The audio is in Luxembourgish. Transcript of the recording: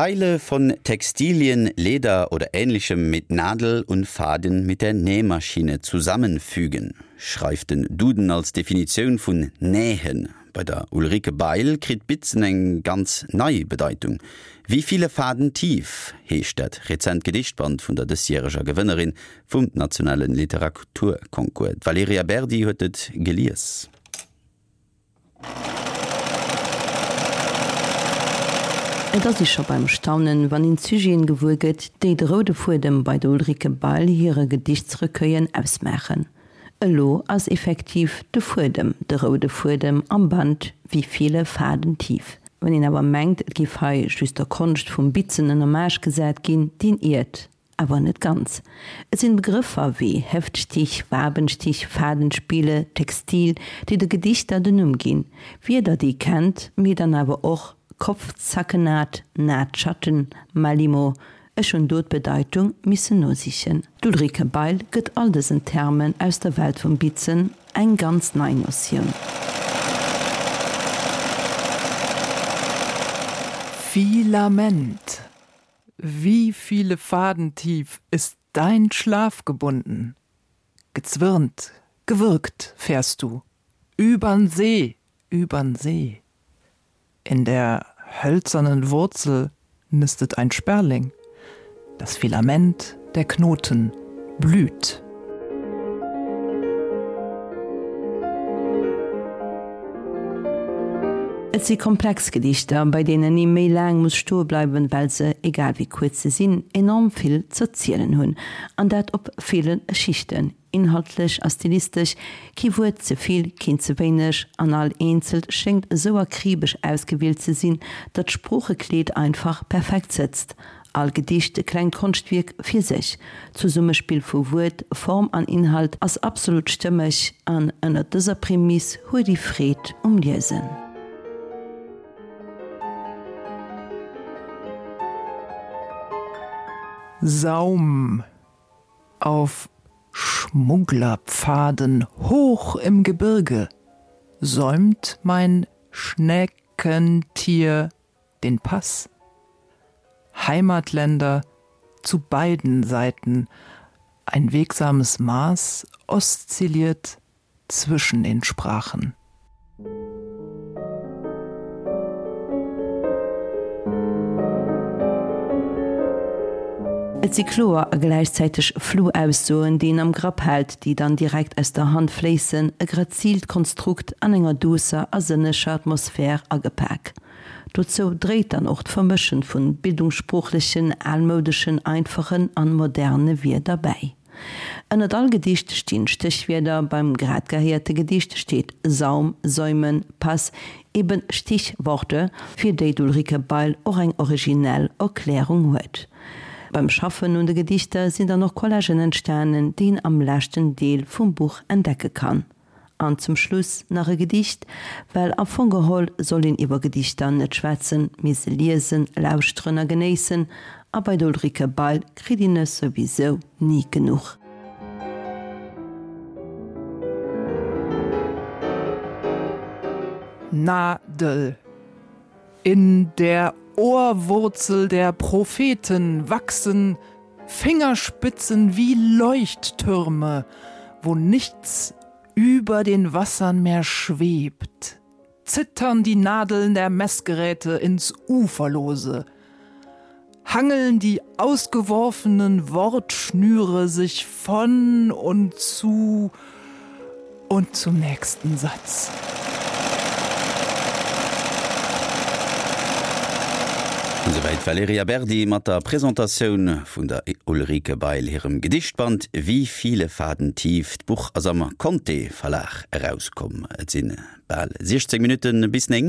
Teile von Textilien, Leder oder Ähnlichem mit Nadel und Faden mit der Nähmaschine zusammenfügen, schreift den Duden als Definitioun vun nähen. Bei der Ulrike Bail kritt bitzen eng ganz nei Bedeitung. Wie viele Faden tief heescht dat rezent Gedichtband vun der dësjäreger Gewënnerin vum nationale Literaturconcours. D'Valerija Berdi huet et gelies. Et ass ee scho beim Staunen, wann een d'Sujeten gewuer gëtt, déi de roude Fuedem bei der Ulrike Bail hire Gedichtsrecueillen ausmaachen. Elo ass effektiv de Fuedem de roude Fuedem am Band Wie viele Faden tief. Wann een awer mengt, et géif hei just der Konscht vum Bitzen en Hommage gesat ginn, deen iert. Awer net ganz. Et sinn Begrëffer wéi Heftstich, Wabenstich, Fadenspiele, Textil, déi de Gedichter den Numm ginn. Wierder, déi ee kennt, mee dann awer och Kopfzackennaht, Nahtschatten, Malimo. Ech hunn do d'Bedeitung missen nosichen. D'Ulrike Bail gëtt all dësen Termen aus der Welt vum Bitzen eng ganz nei Notioun. Filament. Wie viele Faden tief ist dein Schlaf gebunden? Gezwirnt, gewürgt fährst du übern See, übern See. In der hölzernen Wurzel nistet ein Sperling. Das Filament der Knoten blüht. Et si komplex Gedichter, bei deenen ee méi laang muss stoe bleiwen, well se, egal wéi kuerz se sinn, enorm vill z'erzielen hunn. An dat op ville Schichten, inhaltlech a stilistesch, kee Wuert ze vill, keent ze wéineg, an all eenzelt schéngt esou akribesch ausgewielt ze sinn, datt d'Sproochekleed einfach perfekt sëtzt. All Gedicht e klengt Konschtwierk fir sech. D'Zesummespill vu Wuert, Form an Inhalt ass absolut stëmmeg an ënnert dëser Prämiss huet ee Freed um Liesen. Saum auf Schmugglerpfaden hoch im Gebirge säumt mein Schneckentier den Pass. Heimatländer zu beiden Seiten ein wegsames Maß oszilliert zwischen den Sprachen. Et si kloer a gläichzäiteg flou Aussoen, déi een am Grapp hält, déi dann direkt aus der Hand fléissen, e grazilt Konstrukt an enger duusser a sënneger Atmosphär agepak. Dozou dréit dann och d'Vermëschen vun bildungssproochlechen, almoudeschen, einfachen an moderne Wierder bäi. Ënnert all Gedicht stinn Stéchwierder, beim grad gehéierte Gedicht steet Saum, Säumen, Pass, eben Stichworte, fir déi d'Ulrike Bail och eng originell Erklärung huet. Beim Schaffen un de Gedichter sinn dann och Collagen entstanen, déi een am leschten Deel vum Buch entdecke kann. An zum Schluss nach e Gedicht, well am Fong geholl soll een iwwer Gedichter net schwätzen, mee se liesen, lauschteren a genéissen, a bei der Ulrike Bail kritt een es souwisou ni genuch. Nadel. In der Ohrwurzel der Propheten wachsen Fingerspitzen wie Leuchttürme, wo nichts über den Wassern mehr schwebt, zittern die Nadeln der Messgeräte ins Uferlose, hangeln die ausgeworfenen Wortschnüre sich von und zu und zum nächsten Satz. Esouwäit d'Valerija Berdi mat der Presentatioun vun der Ulrike Bail hirem Gedichtband Wie viele Faden tief. D'Buch ass am Conté Verlag erauskomm. Et si bal 16 Minutte bis 9.